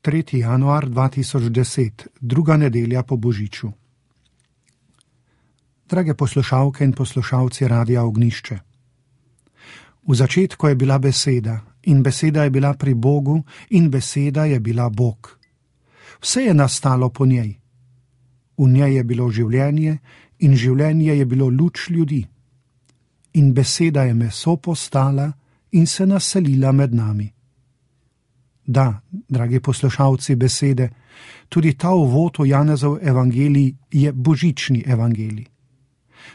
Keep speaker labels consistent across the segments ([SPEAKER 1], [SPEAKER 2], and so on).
[SPEAKER 1] 3. januar 2010, druga nedelja po Božiču. Drage poslušalke in poslušalci Radia Ognjišče. V začetku je bila beseda in beseda je bila pri Bogu in beseda je bila Bog. Vse je nastalo po njej. V njej je bilo življenje in življenje je bilo luč ljudi. In beseda je meso postala in se naselila med nami. Da, dragi poslušalci besede, tudi ta uvod v Janezov evangelij je božični evangelij.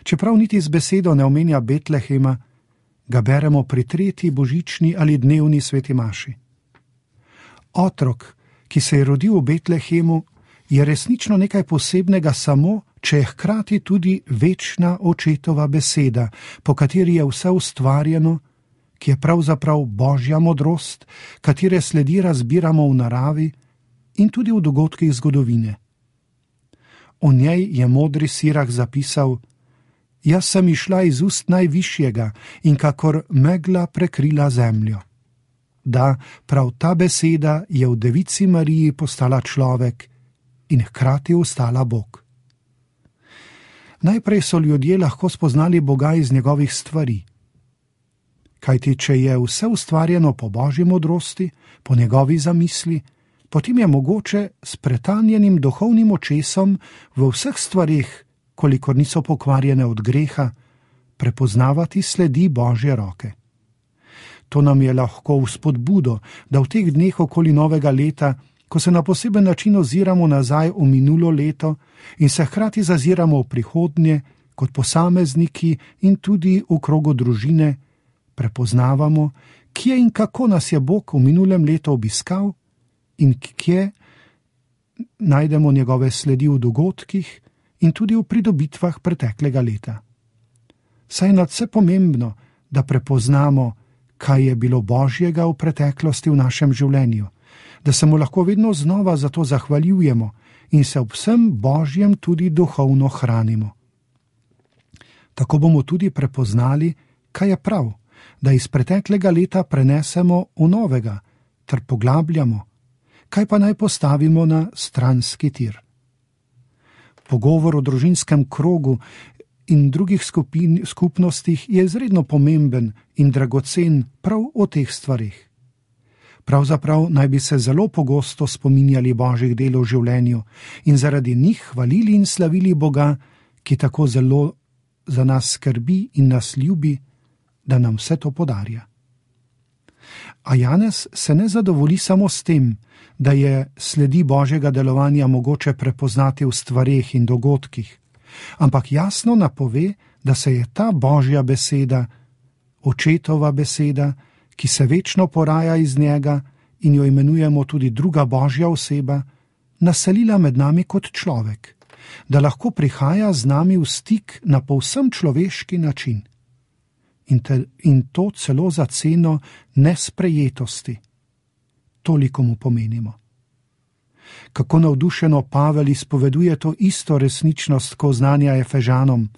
[SPEAKER 1] Čeprav niti z besedo ne omenja Betlehema, ga beremo pri 3. božični ali dnevni sveti maši. Otrok, ki se je rodil v Betlehemu, je resnično nekaj posebnega samo, če je hkrati tudi večna očetova beseda, po kateri je vse ustvarjeno, ki je pravzaprav božja modrost, katere sledi razbiramo v naravi in tudi v dogodkih zgodovine. O njej je modri Sirah zapisal: Jaz sem išla iz ust najvišjega in kakor megla prekrila zemljo. Da, prav ta beseda je v devici Mariji postala človek in hkrati ostala Bog. Najprej so ljudje lahko spoznali Boga iz njegovih stvari. Kajti, če je vse ustvarjeno po božji modrosti, po njegovi zamisli, potem je mogoče s pretanjenim duhovnim očesom v vseh stvarih, kolikor niso pokvarjene od greha, prepoznavati sledi božje roke. To nam je lahko v spodbudo, da v teh dneh okoli novega leta, ko se na poseben način oziramo nazaj v minulo leto in se hkrati zaziramo v prihodnje kot posamezniki in tudi v krogu družine, prepoznavamo, kje in kako nas je Bog v minulem letu obiskal in kje najdemo njegove sledi v dogodkih in tudi v pridobitvah preteklega leta. Saj je nadvse pomembno, da prepoznamo, kaj je bilo božjega v preteklosti v našem življenju, da se mu lahko vedno znova za to zahvaljujemo in se ob vsem božjem tudi duhovno hranimo. Tako bomo tudi prepoznali, kaj je prav, da iz preteklega leta prenesemo v novega ter poglabljamo, kaj pa naj postavimo na stranski tir. Pogovor o družinskem krogu in drugih skupnostih je izredno pomemben in dragocen prav o teh stvarih. Pravzaprav naj bi se zelo pogosto spominjali božjih del v življenju in zaradi njih hvalili in slavili Boga, ki tako zelo za nas skrbi in nas ljubi, da nam vse to podarja. A Janez se ne zadovolji samo s tem, da je sledi božjega delovanja mogoče prepoznati v stvareh in dogodkih, ampak jasno napove, da se je ta božja beseda, očetova beseda, ki se večno poraja iz njega in jo imenujemo tudi druga božja oseba, naselila med nami kot človek, da lahko prihaja z nami v stik na povsem človeški način. In to celo za ceno nesprejetosti. Toliko mu pomenimo. Kako navdušeno Pavel izpoveduje to isto resničnost, ko znanja Efežanom: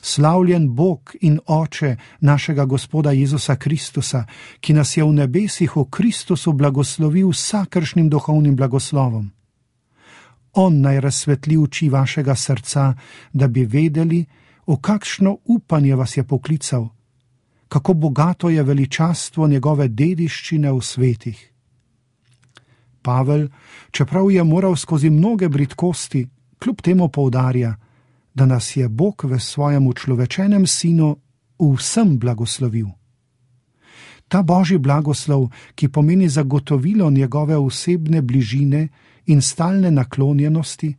[SPEAKER 1] Slavljen Bog in Oče našega Gospoda Jezusa Kristusa, ki nas je v nebesih v Kristusu blagoslovil vsakršnim duhovnim blagoslovom. On naj razsvetli oči vašega srca, da bi vedeli, v kakšno upanje vas je poklical, kako bogato je veličastvo njegove dediščine v svetih. Pavel, čeprav je moral skozi mnoge bridkosti, kljub temu poudarja, da nas je Bog v svojem učlovečenem sinu v vsem blagoslovil. Ta božji blagoslov, ki pomeni zagotovilo njegove osebne bližine in stalne naklonjenosti,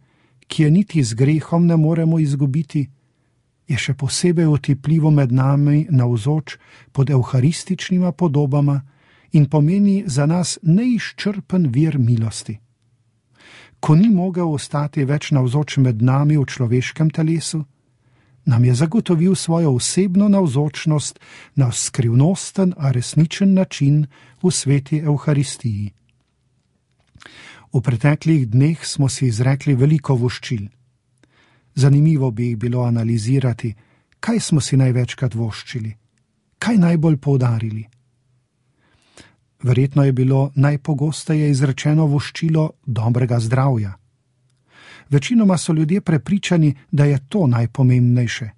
[SPEAKER 1] ki je niti z grehom ne moremo izgubiti, je še posebej otipljivo med nami navzoč pod evharističnima podobama in pomeni za nas neizčrpen vir milosti. Ko ni mogel ostati več navzoč med nami v človeškem telesu, nam je zagotovil svojo osebno navzočnost na skrivnosten, a resničen način v sveti evharistiji. V preteklih dneh smo si izrekli veliko voščil. Zanimivo bi jih bilo analizirati, kaj smo si največkrat voščili, kaj najbolj poudarili. Verjetno je bilo najpogosteje izrečeno voščilo dobrega zdravja. Večinoma so ljudje prepričani, da je to najpomembnejše.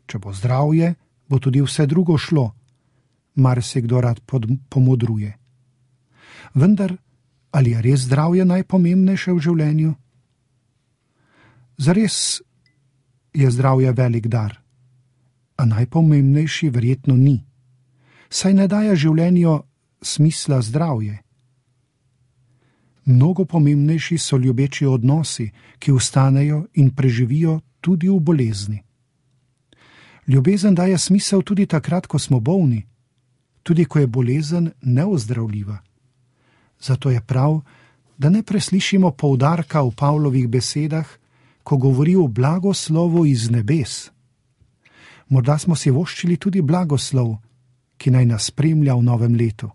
[SPEAKER 1] Če bo zdravje, bo tudi vse drugo šlo, marsikdo rad pomodruje. Vendar, ali je res zdravje najpomembnejše v življenju? Zares je zdravje velik dar, a najpomembnejši verjetno ni. Saj ne daje življenju smisla zdravje. Mnogo pomembnejši so ljubeči odnosi, ki ostanejo in preživijo tudi v bolezni. Ljubezen daje smisel tudi takrat, ko smo bolni, tudi ko je bolezen neozdravljiva. Zato je prav, da ne preslišimo poudarka v Pavlovih besedah, ko govori o blagoslovu iz nebes. Morda smo si voščili tudi blagoslov, ki naj nas spremlja v novem letu.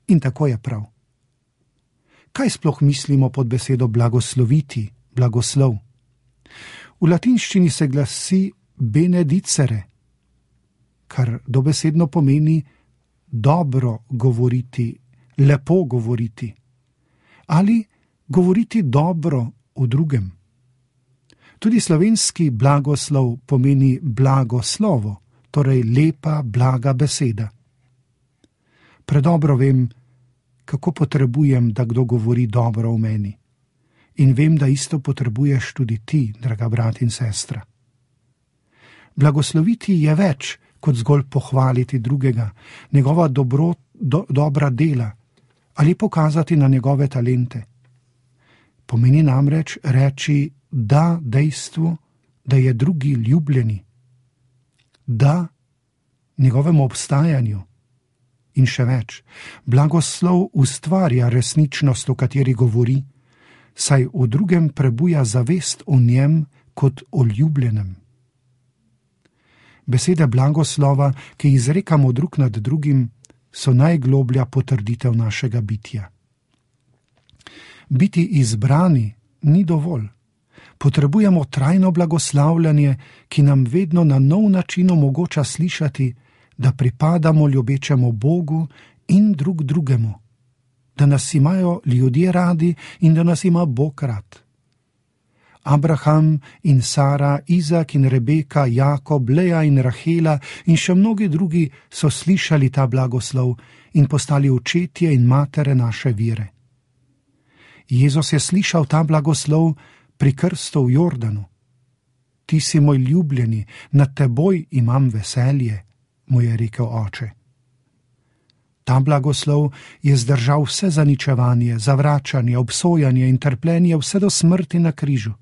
[SPEAKER 1] In tako je prav. Kaj sploh mislimo pod besedo blagosloviti, blagoslov? V latinščini se glasi benedicere, kar dobesedno pomeni dobro govoriti, lepo govoriti ali govoriti dobro o drugem. Tudi slovenski blagoslov pomeni blagoslovo, torej lepa, blaga beseda. Predobro vem, kako potrebujem, da kdo govori dobro o meni. In vem, da isto potrebuješ tudi ti, draga brat in sestra. Blagosloviti je več, kot zgolj pohvaliti drugega, njegova dobra dela ali pokazati na njegove talente. Pomeni namreč reči da dejstvu, da je drugi ljubljeni, da njegovemu obstajanju. In še več, blagoslov ustvarja resničnost, o kateri govori, saj v drugem prebuja zavest o njem kot o ljubljenem. Besede blagoslova, ki izrekamo drug nad drugim, so najgloblja potrditev našega bitja. Biti izbrani ni dovolj. Potrebujemo trajno blagoslavljanje, ki nam vedno na nov način omogoča slišati, da pripadamo ljubečemu Bogu in drug drugemu, da nas imajo ljudje radi in da nas ima Bog rad. Abraham in Sara, Izak in Rebeka, Jakob, Lea in Rahela in še mnogi drugi so slišali ta blagoslov in postali očetje in matere naše vere. Jezus je slišal ta blagoslov pri krstu v Jordanu. Ti si moj ljubljeni, nad teboj imam veselje, mu je rekel oče. Ta blagoslov je zdržal vse zaničevanje, zavračanje, obsojanje in trpljenje vse do smrti na križu.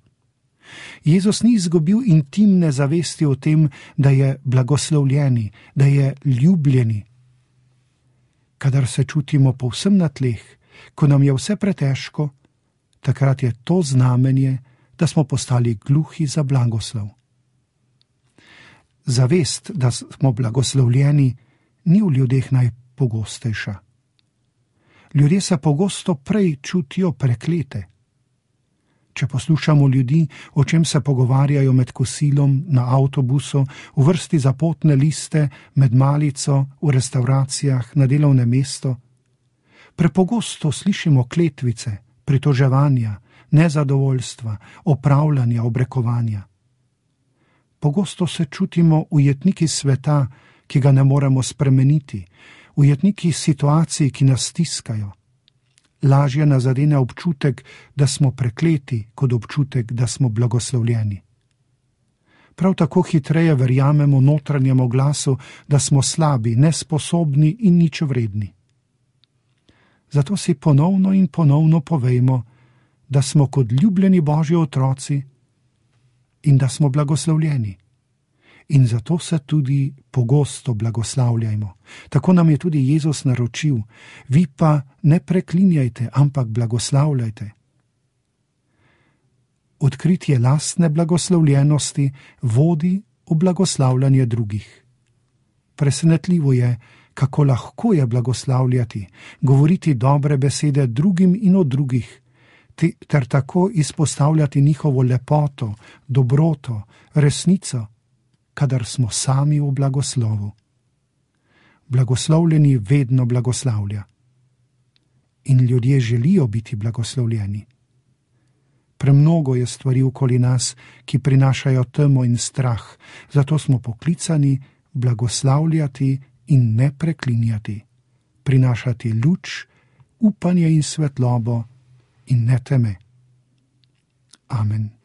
[SPEAKER 1] Jezus ni izgubil intimne zavesti o tem, da je blagoslovljeni, da je ljubljeni. Kadar se čutimo povsem na tleh, ko nam je vse pretežko, takrat je to znamenje, da smo postali gluhi za blagoslov. Zavest, da smo blagoslovljeni, ni v ljudeh najpogostejša. Ljudje se pogosto prej čutijo preklete. Če poslušamo ljudi, o čem se pogovarjajo med kosilom, na avtobusu, v vrsti za potne liste, med malico, v restavracijah, na delovnem mestu, prepogosto slišimo kletvice, pritoževanja, nezadovoljstva, opravljanja, obrekovanja. Pogosto se čutimo ujetniki sveta, ki ga ne moremo spremeniti, ujetniki situacij, ki nas stiskajo. Lažje nas zadene občutek, da smo prekleti, kot občutek, da smo blagoslovljeni. Prav tako hitreje verjamemo notranjemu glasu, da smo slabi, nesposobni in ničvredni. Zato si ponovno in ponovno povejmo, da smo kot ljubljeni Božji otroci in da smo blagoslovljeni. In zato se tudi pogosto blagoslavljajmo. Tako nam je tudi Jezus naročil, vi pa ne preklinjajte, ampak blagoslavljajte. Odkritje lastne blagoslovljenosti vodi v blagoslavljanje drugih. Presenetljivo je, kako lahko je blagoslavljati, govoriti dobre besede drugim in o drugih, ter tako izpostavljati njihovo lepoto, dobroto, resnico, kadar smo sami v blagoslovu. Blagoslovljeni vedno blagoslavlja. in ljudje želijo biti blagoslovljeni. Premnogo je stvari okoli nas, ki prinašajo temo in strah, zato smo poklicani blagoslavljati in ne preklinjati, prinašati luč, upanje in svetlobo in ne teme. Amen.